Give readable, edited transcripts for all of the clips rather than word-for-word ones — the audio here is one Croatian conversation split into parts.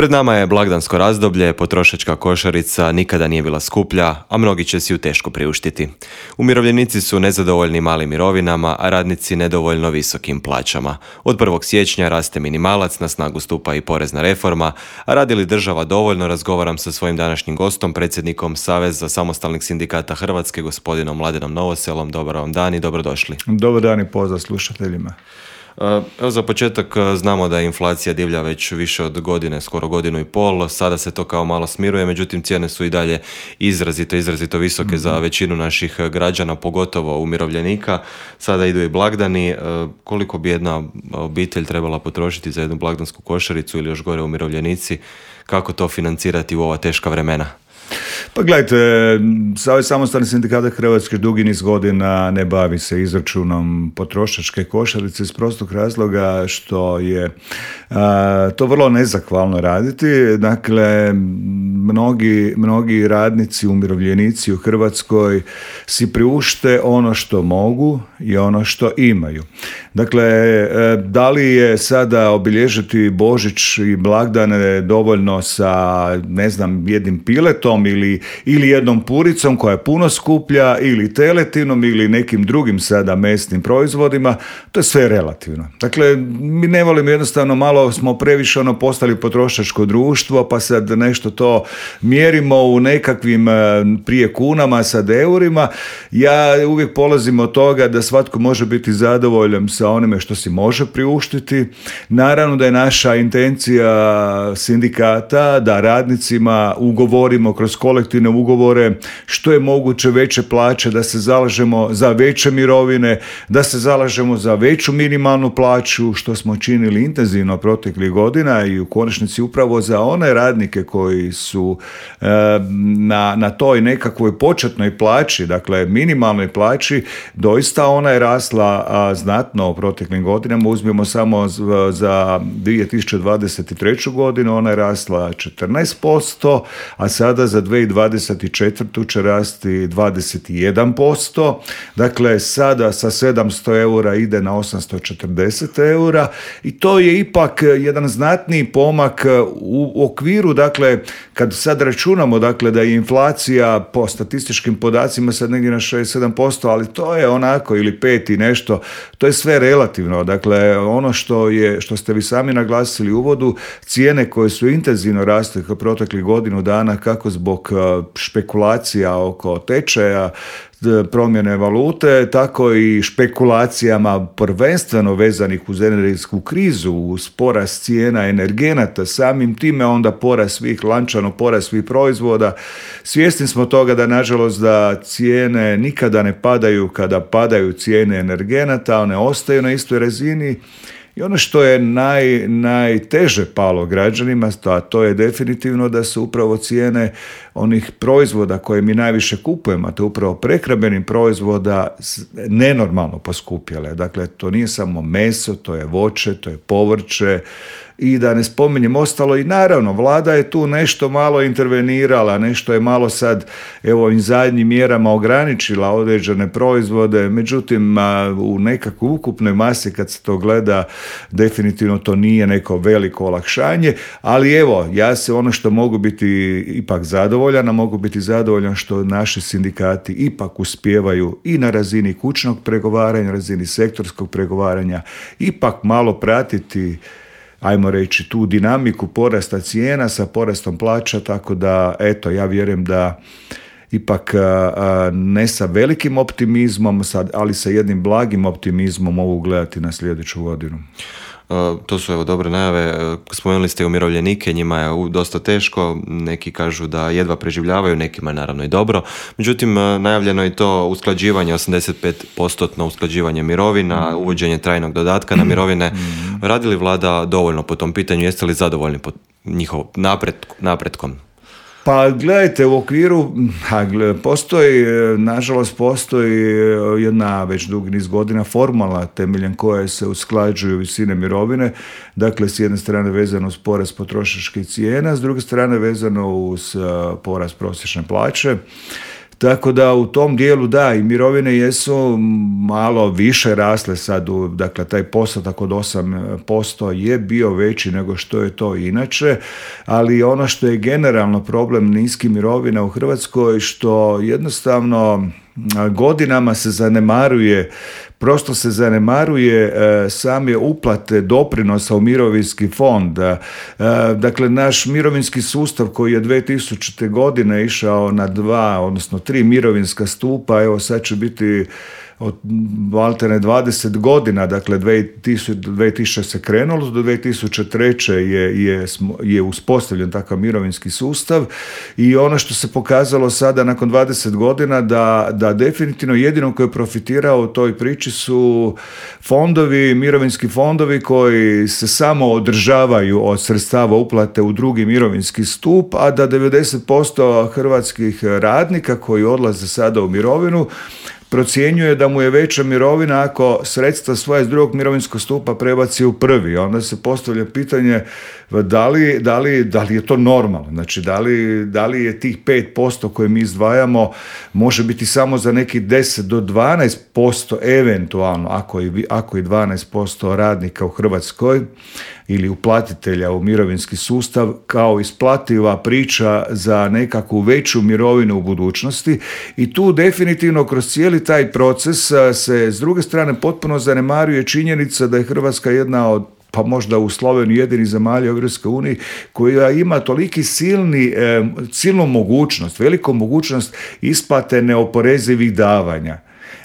Pred nama je blagdansko razdoblje, potrošačka košarica nikada nije bila skuplja, a mnogi će si ju teško priuštiti. Umirovljenici su nezadovoljni malim mirovinama, a radnici nedovoljno visokim plaćama. Od 1. siječnja raste minimalac, na snagu stupa i porezna reforma, a radi li država dovoljno, razgovaram sa svojim današnjim gostom, predsjednikom Saveza samostalnih sindikata Hrvatske, gospodinom Mladenom Novoselom. Dobar vam dan i dobrodošli. Dobar dan i pozdrav slušateljima. Evo, za početak znamo da je inflacija divlja već više od godine, skoro godinu i pol. Sada se to kao malo smiruje, međutim cijene su i dalje izrazito visoke za većinu naših građana, pogotovo umirovljenika. Sada idu i blagdani. Koliko bi jedna obitelj trebala potrošiti za jednu blagdansku košaricu ili još gore umirovljenici? Kako to financirati u ova teška vremena? Pa gledajte, Savez samostalnih sindikata Hrvatske dugi niz godina ne bavi se izračunom potrošačke košarice iz prostog razloga što je to vrlo nezahvalno raditi. Dakle, mnogi radnici, umirovljenici u Hrvatskoj si priušte ono što mogu i ono što imaju. Dakle, da li je sada obilježiti Božić i blagdane dovoljno sa, jednim piletom ili jednom puricom koja je puno skuplja, ili teletinom ili nekim drugim sada mesnim proizvodima, to je sve relativno. Dakle, mi ne volimo, jednostavno malo smo previše postali potrošačko društvo, pa sad nešto to mjerimo u nekakvim prije kunama, sad eurima. Ja uvijek polazim od toga da svatko može biti zadovoljan sa onime što si može priuštiti. Naravno da je naša intencija sindikata da radnicima ugovorimo kroz kolektivne ugovore što je moguće veće plaće, da se zalažemo za veće mirovine, da se zalažemo za veću minimalnu plaću, što smo činili intenzivno proteklih godina, i u konačnici upravo za one radnike koji su na toj nekakvoj početnoj plaći, dakle minimalnoj plaći, doista ona je rasla znatno u proteklim godinama. Uzmemo samo za 2023. godinu, ona je rasla 14%, a sada za 2024. će rasti 21%. Dakle, sada sa 700 eura ide na 840 eura i to je ipak jedan znatniji pomak u okviru, dakle, kad sad računamo, dakle, da je inflacija po statističkim podacima sad negdje na 6-7%, ali to je onako, ili 5 i nešto, to je sve relativno. Dakle, ono što ste vi sami naglasili u uvodu, cijene koje su intenzivno rasle proteklih godinu dana, kako zbog špekulacija oko tečaja, promjene valute, tako i špekulacijama prvenstveno vezanih uz energetsku krizu, uz porast cijena energenata, samim time onda lančano porast svih proizvoda. Svjesni smo toga da, nažalost, da cijene nikada ne padaju kada padaju cijene energenata, one ostaju na istoj razini. I ono što je najteže palo građanima, a to je definitivno da su upravo cijene onih proizvoda koje mi najviše kupujemo, a to je upravo prehrambenih proizvoda, nenormalno poskupjele. Dakle, to nije samo meso, to je voće, to je povrće, i da ne spominjem ostalo. I naravno, vlada je tu nešto malo intervenirala, nešto je malo sad, evo, ovim zadnjim mjerama ograničila određene proizvode, međutim, u nekakvoj ukupnoj masi kad se to gleda, definitivno to nije neko veliko olakšanje, ali evo, ja se ono što mogu biti ipak zadovoljan, a mogu biti zadovoljan što naši sindikati ipak uspijevaju i na razini kućnog pregovaranja, razini sektorskog pregovaranja, ipak malo pratiti, ajmo reći, tu dinamiku porasta cijena sa porastom plaća, tako da, eto, ja vjerujem da ipak ne sa velikim optimizmom, ali sa jednim blagim optimizmom mogu gledati na sljedeću godinu. To su, evo, dobre najave. Spomenuli ste umirovljenike, njima je dosta teško, neki kažu da jedva preživljavaju, nekima je naravno i dobro. Međutim, najavljeno je to usklađivanje, 85% usklađivanje mirovina, uvođenje trajnog dodatka na mirovine. Radi li vlada dovoljno po tom pitanju? Jeste li zadovoljni po njihovom napretkom? Pa gledajte, u okviru nažalost postoji jedna već dugi niz godina formula temeljem koje se usklađuju visine mirovine. Dakle, s jedne strane vezano uz porast potrošačkih cijena, s druge strane vezano uz porast prosječne plaće. Tako da u tom dijelu da, i mirovine jesu malo više rasle sad, dakle taj postotak od 8% je bio veći nego što je to inače, ali ono što je generalno problem niskih mirovina u Hrvatskoj, što jednostavno godinama se zanemaruje, prosto se zanemaruje same uplate doprinosa u mirovinski fond. Dakle, naš mirovinski sustav koji je 2000. godine išao na 2, odnosno 3 mirovinska stupa, evo sad će biti od maltene 20 godina, dakle 2000 se krenulo, do 2003. je uspostavljen takav mirovinski sustav i ono što se pokazalo sada nakon 20 godina da definitivno jedino koji je profitirao u toj priči su fondovi, mirovinski fondovi koji se samo održavaju od sredstava uplate u drugi mirovinski stup, a da 90% hrvatskih radnika koji odlaze sada u mirovinu procjenjuje da mu je veća mirovina ako sredstva svoje iz drugog mirovinskog stupa prebaci u prvi. Onda se postavlja pitanje da li je to normalno. Znači, da li je tih 5% koje mi izdvajamo može biti samo za neki 10 do 12% eventualno, ako i 12% radnika u Hrvatskoj ili uplatitelja u mirovinski sustav kao isplativa priča za nekakvu veću mirovinu u budućnosti, i tu definitivno kroz cijeli taj proces se s druge strane potpuno zanemaruje činjenica da je Hrvatska jedna od, pa možda u Sloveniji jedini zemalja u Europskoj uniji koja ima toliki silnu mogućnost, veliku mogućnost isplate neoporezivih davanja.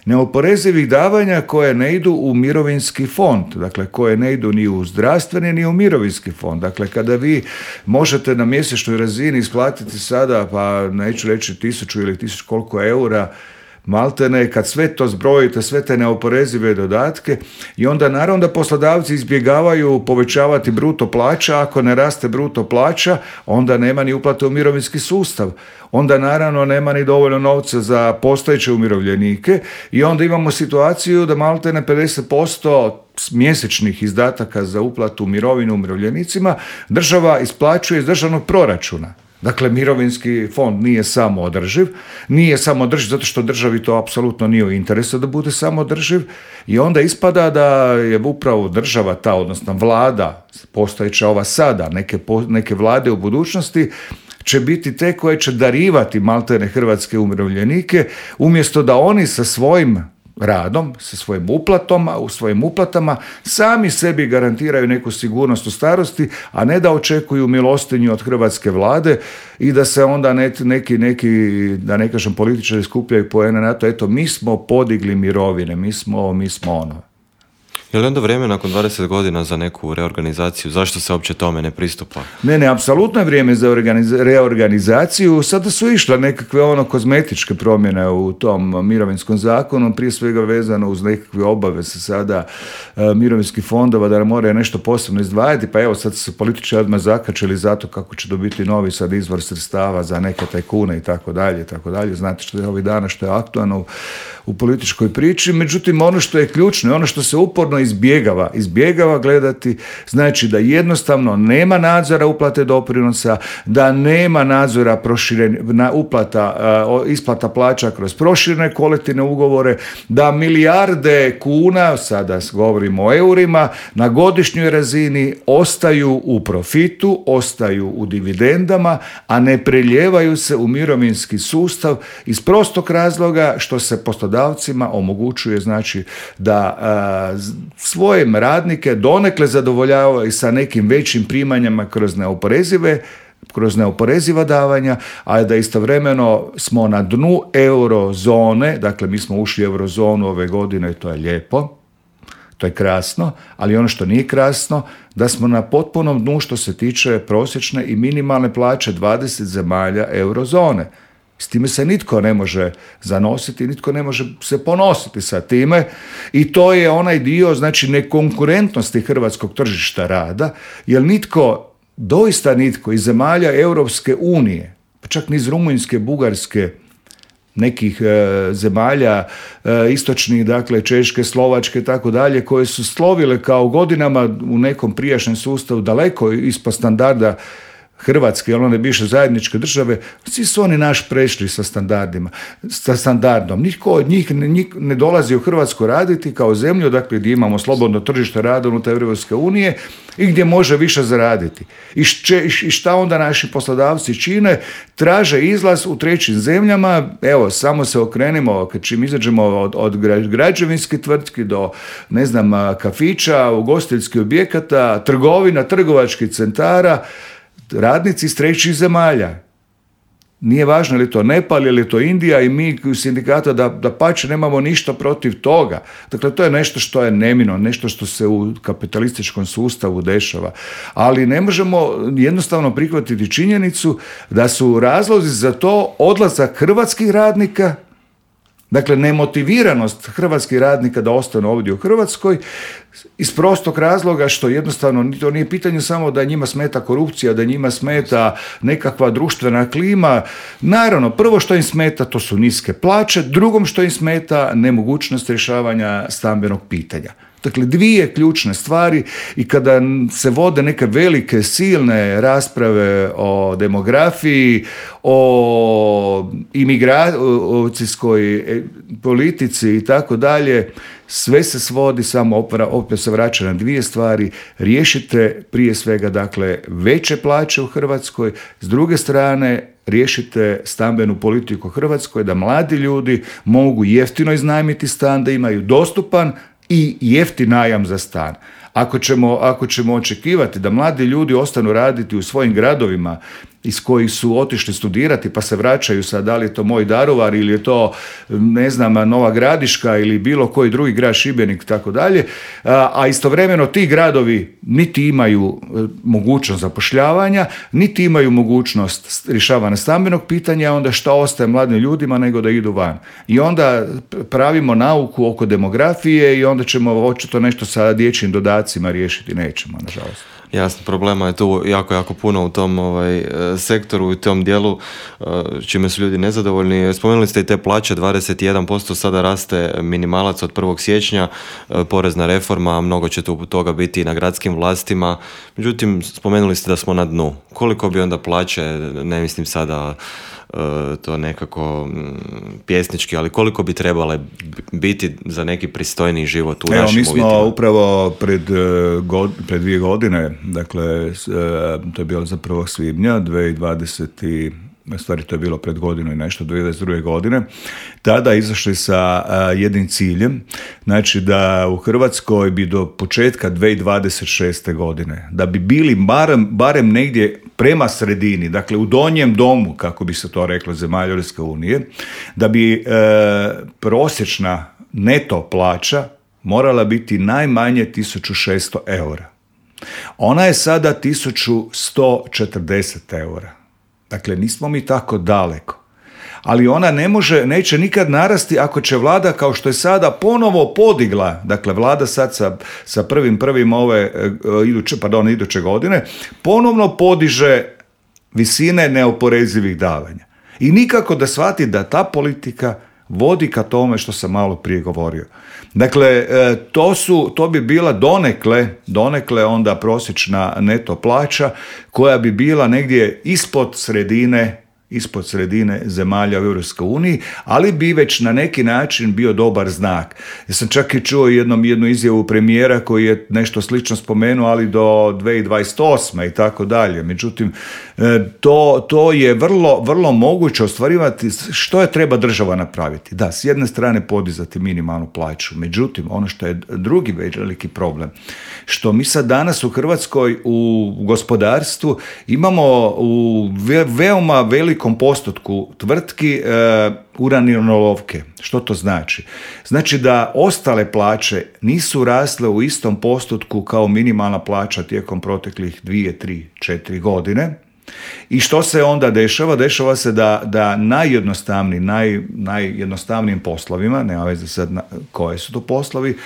Neoporezivih davanja koje ne idu u mirovinski fond, dakle koje ne idu ni u zdravstveni ni u mirovinski fond. Dakle, kada vi možete na mjesečnoj razini isplatiti sada, pa neću reći 1000 ili 1000 koliko eura, maltene, kad sve to zbrojite, sve te neoporezive dodatke, i onda naravno da poslodavci izbjegavaju povećavati bruto plaća. Ako ne raste bruto plaća, onda nema ni uplate u mirovinski sustav. Onda naravno nema ni dovoljno novca za postojeće umirovljenike i onda imamo situaciju da maltene 50% mjesečnih izdataka za uplatu mirovinu umirovljenicima država isplaćuje iz državnog proračuna. Dakle, mirovinski fond nije samoodrživ zato što državi to apsolutno nije u interesu da bude samoodrživ, i onda ispada da je upravo država ta, odnosno vlada, postojeća ova sada, neke vlade u budućnosti, će biti te koje će darivati maltene hrvatske umirovljenike, umjesto da oni sa svojim radom, sa svojim uplatama sami sebi garantiraju neku sigurnost u starosti, a ne da očekuju milostinju od hrvatske vlade i da se onda neki, da ne kažem, političari skupljaju poene na to, eto, mi smo podigli mirovine, mi smo ono. Je li onda vrijeme nakon 20 godina za neku reorganizaciju? Zašto se uopće tome ne pristupa? Ne, apsolutno je vrijeme za reorganizaciju. Sada su išle nekakve kozmetičke promjene u tom mirovinskom zakonu, prije svega vezano uz nekakve obaveze sada mirovinskih fondova da moraju nešto posebno izdvajati, pa evo sad su političari odmah zakačili zato kako će dobiti novi sad izvor sredstava za neke tajkune i tako dalje. Znate što je ovih dana, što je aktualno u političkoj priči. Međutim, ono što je ključno, ono što se uporno izbjegava gledati, znači da jednostavno nema nadzora uplate doprinosa, da nema nadzora isplata plaća kroz proširene kolektivne ugovore, da milijarde kuna, sada govorimo o eurima, na godišnjoj razini ostaju u profitu, ostaju u dividendama, a ne preljevaju se u mirovinski sustav iz prostog razloga što se poslodavcima omogućuje, znači, da svojim radnike donekle zadovoljavaju sa nekim većim primanjama kroz neoporeziva davanja, a da istovremeno smo na dnu eurozone. Dakle, mi smo ušli u eurozonu ove godine i to je lijepo, to je krasno, ali ono što nije krasno, da smo na potpunom dnu što se tiče prosječne i minimalne plaće 20 zemalja eurozone. S time se nitko ne može zanositi, nitko ne može se ponositi sa time, i to je onaj dio, znači, nekonkurentnosti hrvatskog tržišta rada, jer doista nitko iz zemalja Europske unije, pa čak ni iz Rumunjske, Bugarske, nekih zemalja istočnih, dakle Češke, Slovačke, tako dalje, koje su slovile kao godinama u nekom prijašnjem sustavu daleko ispod standarda Hrvatske, one bivše zajedničke države, svi su oni naš prešli sa standardom. Nitko od njih ne dolazi u Hrvatsku raditi kao zemlju, dakle gdje imamo slobodno tržište rada unutar Europske unije i gdje može više zaraditi. I šta onda naši poslodavci čine? Traže izlaz u trećim zemljama. Evo, samo se okrenimo, čim izađemo od građevinskih tvrtki do, ne znam, kafića, ugostiteljskih objekata, trgovina, trgovačkih centara, radnici iz trećih zemalja. Nije važno je li to Nepal, je li to Indija, i mi u sindikata da pače nemamo ništa protiv toga. Dakle, to je nešto što je neminovno, nešto što se u kapitalističkom sustavu dešava. Ali ne možemo jednostavno prihvatiti činjenicu da su razlozi za to odlazak hrvatskih radnika, dakle nemotiviranost hrvatskih radnika da ostanu ovdje u Hrvatskoj, iz prostog razloga što jednostavno to nije pitanje samo da njima smeta korupcija, da njima smeta nekakva društvena klima. Naravno, prvo što im smeta to su niske plaće, drugom što im smeta nemogućnost rješavanja stambenog pitanja. Dakle, dvije ključne stvari, i kada se vode neke velike, silne rasprave o demografiji, o imigracijskoj politici i tako dalje, sve se svodi samo, opet se vraća na dvije stvari. Riješite prije svega, dakle, veće plaće u Hrvatskoj, s druge strane riješite stambenu politiku u Hrvatskoj, da mladi ljudi mogu jeftino iznajmiti stan, da imaju dostupan i jeftin najam za stan. Ako ćemo očekivati da mladi ljudi ostanu raditi u svojim gradovima iz kojih su otišli studirati pa se vraćaju sad, da li je to moj Daruvar ili je to, ne znam, Nova Gradiška ili bilo koji drugi grad, Šibenik i tako dalje, a istovremeno ti gradovi niti imaju mogućnost zapošljavanja, niti imaju mogućnost rješavanja stambenog pitanja, onda šta ostaje mladim ljudima nego da idu van. I onda pravimo nauku oko demografije i onda ćemo očito nešto sa dječjim dodacima riješiti. Nećemo, nažalost. Jasno, problema je tu jako puno u tom sektoru i u tom dijelu, čime su ljudi nezadovoljni. Spomenuli ste i te plaće, 21% sada raste minimalac od 1. siječnja, porezna reforma, mnogo će tu toga biti i na gradskim vlastima. Međutim, spomenuli ste da smo na dnu. Koliko bi onda plaće, ne mislim sada to nekako pjesnički, ali koliko bi trebale biti za neki pristojniji život u našim uvjetima? Mi smo upravo pred 2 godine, dakle, to je bilo za 1. svibnja 2020, stvari to je bilo pred godinu i nešto, 2022. godine, tada izašli sa jednim ciljem, znači da u Hrvatskoj bi do početka 2026. godine, da bi bili barem negdje prema sredini, dakle u donjem domu, kako bi se to reklo, zemalja Europske unije, da bi prosječna neto plaća morala biti najmanje 1600 eura. Ona je sada 1140 eura. Dakle, nismo mi tako daleko. Ali ona neće nikad narasti ako će vlada, kao što je sada ponovo podigla, dakle vlada sad sa 1.1. iduće godine, ponovno podiže visine neoporezivih davanja. I nikako da shvati da ta politika vodi ka tome što sam malo prije govorio. Dakle, to bi bila donekle onda prosječna neto plaća koja bi bila negdje ispod sredine zemalja u Europskoj uniji, ali bi već na neki način bio dobar znak. Ja sam čak i čuo jednu izjavu premijera koji je nešto slično spomenuo, ali do 2028. i tako dalje. Međutim, to je vrlo moguće ostvarivati. Što je treba država napraviti? Da, s jedne strane podizati minimalnu plaću. Međutim, ono što je drugi veliki problem, što mi sad danas u Hrvatskoj u gospodarstvu imamo u veoma velikom postotku tvrtki uranilovke. Što to znači? Znači da ostale plaće nisu rasle u istom postotku kao minimalna plaća tijekom proteklih 2, 3, 4 godine. I što se onda dešava? Dešava se da najjednostavnijim poslovima, nema veze sad koje su to poslovi,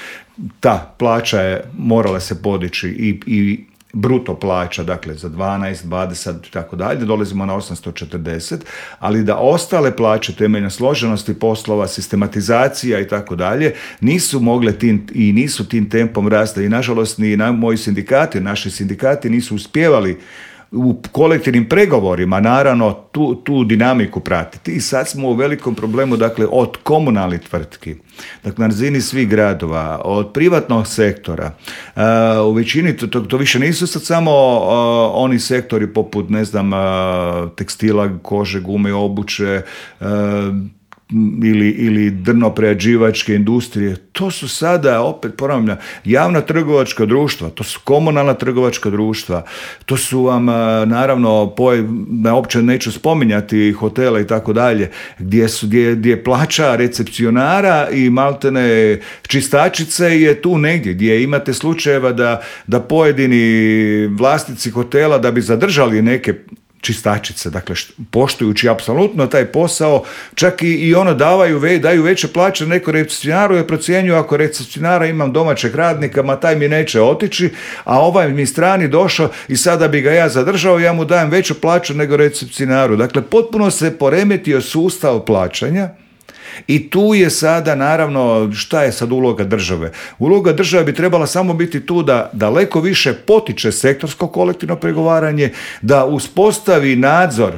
ta plaća je morala se podići i bruto plaća, dakle za 12, 20 i tako dalje, dolazimo na 840, ali da ostale plaće temeljne složenosti poslova, sistematizacija i tako dalje, nisu mogle nisu tim tempom rasti i nažalost ni naši sindikati nisu uspjevali u kolektivnim pregovorima naravno tu dinamiku pratiti. I sad smo u velikom problemu, dakle, od komunalnih tvrtki, dakle, na razini svih gradova, od privatnog sektora. U većini to više nisu sad samo oni sektori poput, ne znam, tekstila, kože, gume, obuće, ili drno-prerađivačke industrije. To su sada, opet ponavljam, javna trgovačka društva, to su komunalna trgovačka društva, to su vam, naravno, uopće neću spominjati hotela i tako dalje, gdje plaća recepcionara i maltene čistačice je tu negdje, gdje imate slučajeva da pojedini vlasnici hotela, da bi zadržali neke čistačice, dakle, poštujući apsolutno taj posao, čak i ono daju veće plaće neko recepcionaru, jer procjenjuju, ako recepcionara imam domaćeg radnika, ma taj mi neće otići, a ovaj mi strani došao i sada bi ga ja zadržao, ja mu dajem veću plaću nego recepcionaru. Dakle, potpuno se poremetio sustav plaćanja. I tu je sada, naravno, šta je sad uloga države? Uloga države bi trebala samo biti tu da daleko više potiče sektorsko kolektivno pregovaranje, da uspostavi nadzor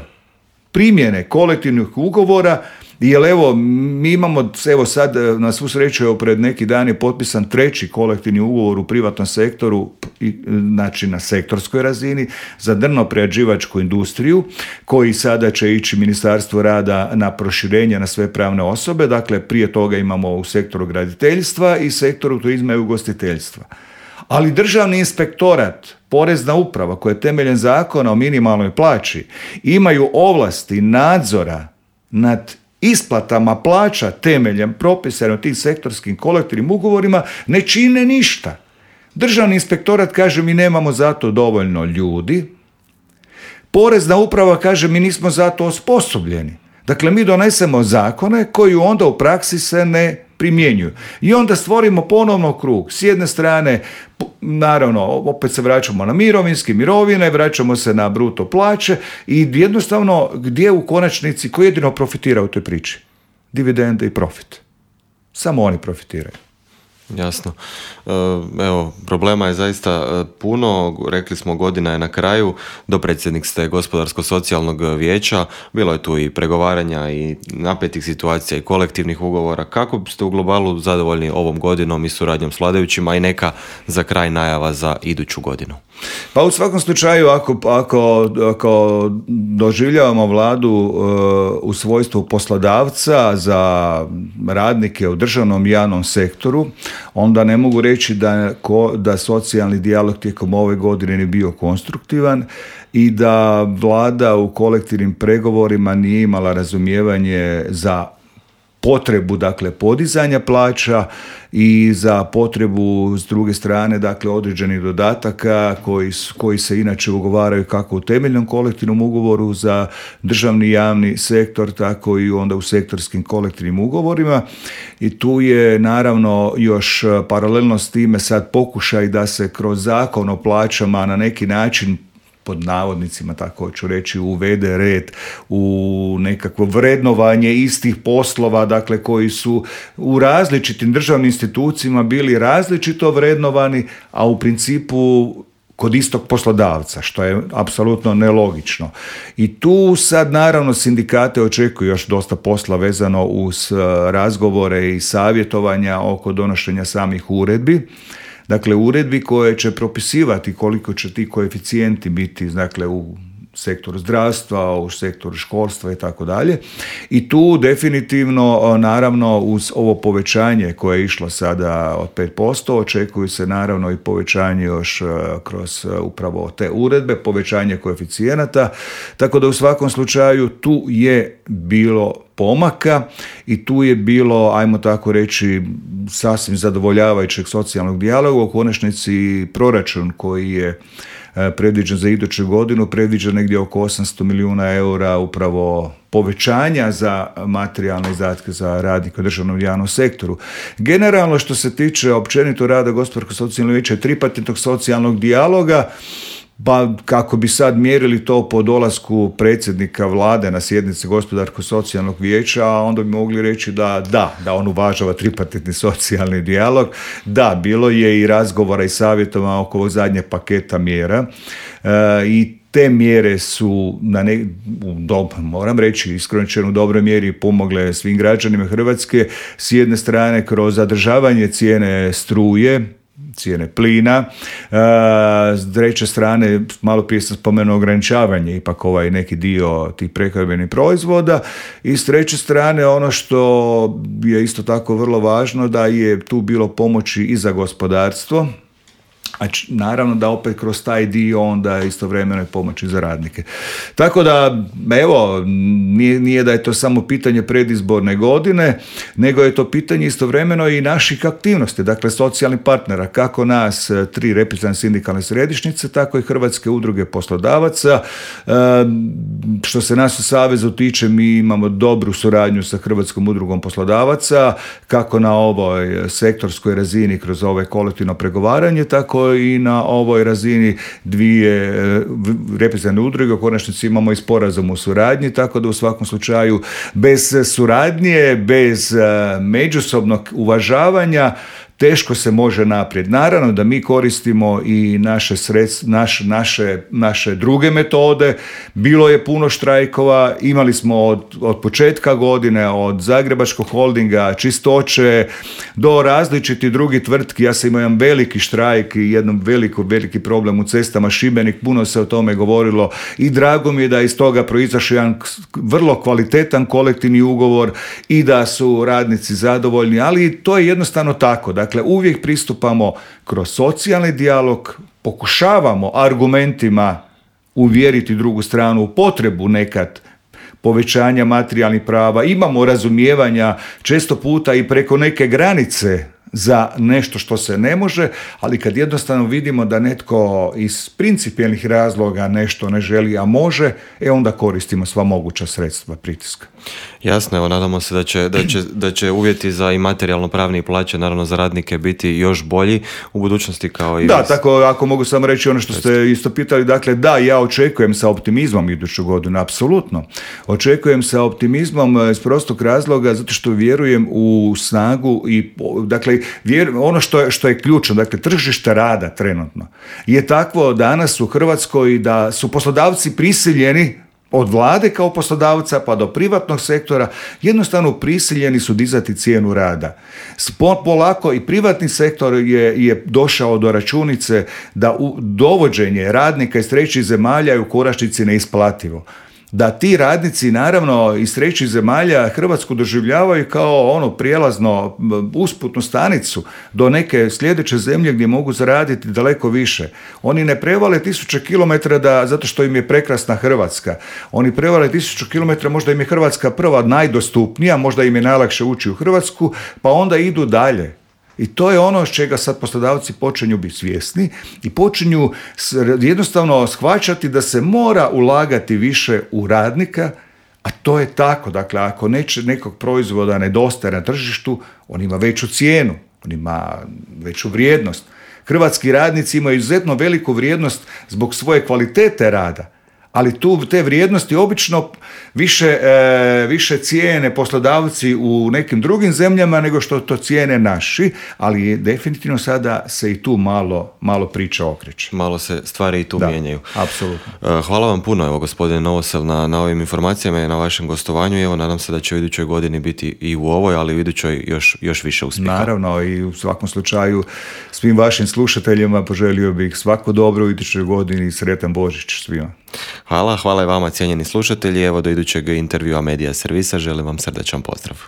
primjene kolektivnih ugovora, jer evo, mi imamo, evo sad, na svu sreću, pred neki dan je potpisan 3. kolektivni ugovor u privatnom sektoru, znači na sektorskoj razini, za drno-prerađivačku industriju, koji sada će ići Ministarstvo rada na proširenje na sve pravne osobe. Dakle, prije toga imamo u sektoru graditeljstva i sektoru turizma i ugostiteljstva. Ali Državni inspektorat, Porezna uprava, koja je temeljem Zakona o minimalnoj plaći, imaju ovlasti nadzora nad isplatama plaća temeljem propisano tim sektorskim kolektivnim ugovorima, ne čine ništa. Državni inspektorat kaže, mi nemamo za to dovoljno ljudi. Porezna uprava kaže, mi nismo za to osposobljeni. Dakle, mi donesemo zakone koji onda u praksi se ne primjenjuju. I onda stvorimo ponovno krug. S jedne strane, naravno, opet se vraćamo na mirovinske mirovine, vraćamo se na bruto plaće i jednostavno, gdje u konačnici, ko jedino profitira u toj priči? Dividende i profit. Samo oni profitiraju. Jasno. Evo, problema je zaista puno, rekli smo, godina je na kraju, dopredsjednik ste Gospodarsko-socijalnog vijeća, bilo je tu i pregovaranja i napetih situacija i kolektivnih ugovora. Kako ste u globalu zadovoljni ovom godinom i suradnjom s vladajućima i neka za kraj najava za iduću godinu? Pa u svakom slučaju, ako doživljavamo vladu u svojstvu poslodavca za radnike u državnom i javnom sektoru, onda ne mogu reći da socijalni dijalog tijekom ove godine nije bio konstruktivan i da vlada u kolektivnim pregovorima nije imala razumijevanje za potrebu, dakle, podizanja plaća i za potrebu, s druge strane, dakle, određenih dodataka koji se inače ugovaraju kako u temeljnom kolektivnom ugovoru za državni i javni sektor, tako i onda u sektorskim kolektivnim ugovorima. I tu je, naravno, još paralelno s time sad pokušaj da se kroz Zakon o plaćama na neki način, pod navodnicima, tako ću reći, uvede red u nekakvo vrednovanje istih poslova, dakle, koji su u različitim državnim institucijama bili različito vrednovani, a u principu kod istog poslodavca, što je apsolutno nelogično. I tu sad, naravno, sindikate očekuju još dosta posla vezano uz razgovore i savjetovanja oko donošenja samih uredbi. Dakle, uredbi koje će propisivati koliko će ti koeficijenti biti, dakle, u sektoru zdravstva, u sektoru školstva i tako dalje. I tu definitivno, naravno, uz ovo povećanje koje je išlo sada od 5%, očekuju se naravno i povećanje još kroz upravo te uredbe, povećanje koeficijenata, tako da u svakom slučaju tu je bilo pomaka i tu je bilo, ajmo tako reći, sasvim zadovoljavajućeg socijalnog dijaloga. U konačnici proračun koji je predviđen za iduću godinu, predviđen negdje oko 800 milijuna eura upravo povećanja za materijalne izdatke za radnike u državnom i javnom sektoru. Generalno, što se tiče općenito rada Gospodarsko-socijalnog vijeća i tripartitnog socijalnog dijaloga, pa kako bi sad mjerili to po dolasku predsjednika vlade na sjednici Gospodarsko-socijalnog vijeća, onda bi mogli reći da on uvažava tripartitni socijalni dijalog. Da, bilo je i razgovora i savjetova oko ovog zadnjeg paketa mjera i te mjere su moram reći iskreno u dobroj mjeri pomogle svim građanima Hrvatske, s jedne strane kroz zadržavanje cijene struje, cijene plina, s treće strane, malo prije sam spomenuo ograničavanje, ipak neki dio tih prehrambenih proizvoda, i s treće strane ono što je isto tako vrlo važno, da je tu bilo pomoći i za gospodarstvo, a naravno da opet kroz taj dio onda istovremeno je pomoći za radnike. Tako da, evo, nije da je to samo pitanje predizborne godine, nego je to pitanje istovremeno i naših aktivnosti, dakle socijalnih partnera, kako nas 3 reprezentativne sindikalne središnjice, tako i Hrvatske udruge poslodavaca. Što se nas u Savezu tiče, mi imamo dobru suradnju sa Hrvatskom udrugom poslodavaca, kako na ovoj sektorskoj razini kroz ovo kolektivno pregovaranje, tako i na ovoj razini 2 reprezentativne udruge. U konačnici imamo i sporazum o suradnji, tako da u svakom slučaju bez suradnje, bez međusobnog uvažavanja teško se može naprijed. Naravno da mi koristimo i naše druge metode. Bilo je puno štrajkova, imali smo od početka godine, od Zagrebačkog holdinga, Čistoće, do različitih drugih tvrtki. Ja sam imao jedan veliki štrajk i jedan veliki problem u cestama Šibenik, puno se o tome govorilo i drago mi je da iz toga proizašao jedan vrlo kvalitetan kolektivni ugovor i da su radnici zadovoljni, ali to je jednostavno tako. Dakle, uvijek pristupamo kroz socijalni dijalog, pokušavamo argumentima uvjeriti drugu stranu u potrebu nekad povećanja materijalnih prava, imamo razumijevanja često puta i preko neke granice za nešto što se ne može, ali kad jednostavno vidimo da netko iz principijelnih razloga nešto ne želi, a može, onda koristimo sva moguća sredstva pritiska. Jasno, evo, nadamo se da će uvjeti za i materijalno pravne i plaće, naravno za radnike, biti još bolji u budućnosti kao i... Da, tako, ako mogu samo reći ono što ste isto pitali, dakle, da, ja očekujem sa optimizmom iduću godinu, apsolutno. Očekujem sa optimizmom iz prostog razloga, zato što vjerujem u snagu i, dakle, ono što je ključno, dakle, tržište rada trenutno je takvo danas u Hrvatskoj da su poslodavci prisiljeni od vlade kao poslodavca pa do privatnog sektora, jednostavno prisiljeni su dizati cijenu rada. Polako i privatni sektor je došao do računice da dovođenje radnika iz trećih zemalja je u konačnici neisplativo. Da ti radnici, naravno, iz trećih zemalja Hrvatsku doživljavaju kao prijelazno usputnu stanicu do neke sljedeće zemlje gdje mogu zaraditi daleko više. Oni ne prevale 1000 kilometara zato što im je prekrasna Hrvatska. Oni prevale 1000 kilometara, možda im je Hrvatska prva najdostupnija, možda im je najlakše ući u Hrvatsku, pa onda idu dalje. I to je ono s čega sad poslodavci počinju biti svjesni i počinju jednostavno shvaćati da se mora ulagati više u radnika, a to je tako. Dakle, ako nekog proizvoda nedostaje na tržištu, on ima veću cijenu, on ima veću vrijednost. Hrvatski radnici imaju izuzetno veliku vrijednost zbog svoje kvalitete rada, ali te vrijednosti obično više cijene poslodavci u nekim drugim zemljama nego što to cijene naši, ali definitivno sada se i tu malo priča okreće. Malo se stvari i tu mijenjaju. Apsolutno. Hvala vam puno, evo, gospodine Novosel, na ovim informacijama i na vašem gostovanju. Evo, nadam se da će u idućoj godini biti i u ovoj, ali u idućoj još više uspjeha. Naravno, i u svakom slučaju svim vašim slušateljima poželio bih svako dobro u idućoj godini i sretan Božić svima. Hvala i vama, cijenjeni slušatelji. Evo, do idućeg intervjua Medija Servisa želim vam srdačan pozdrav.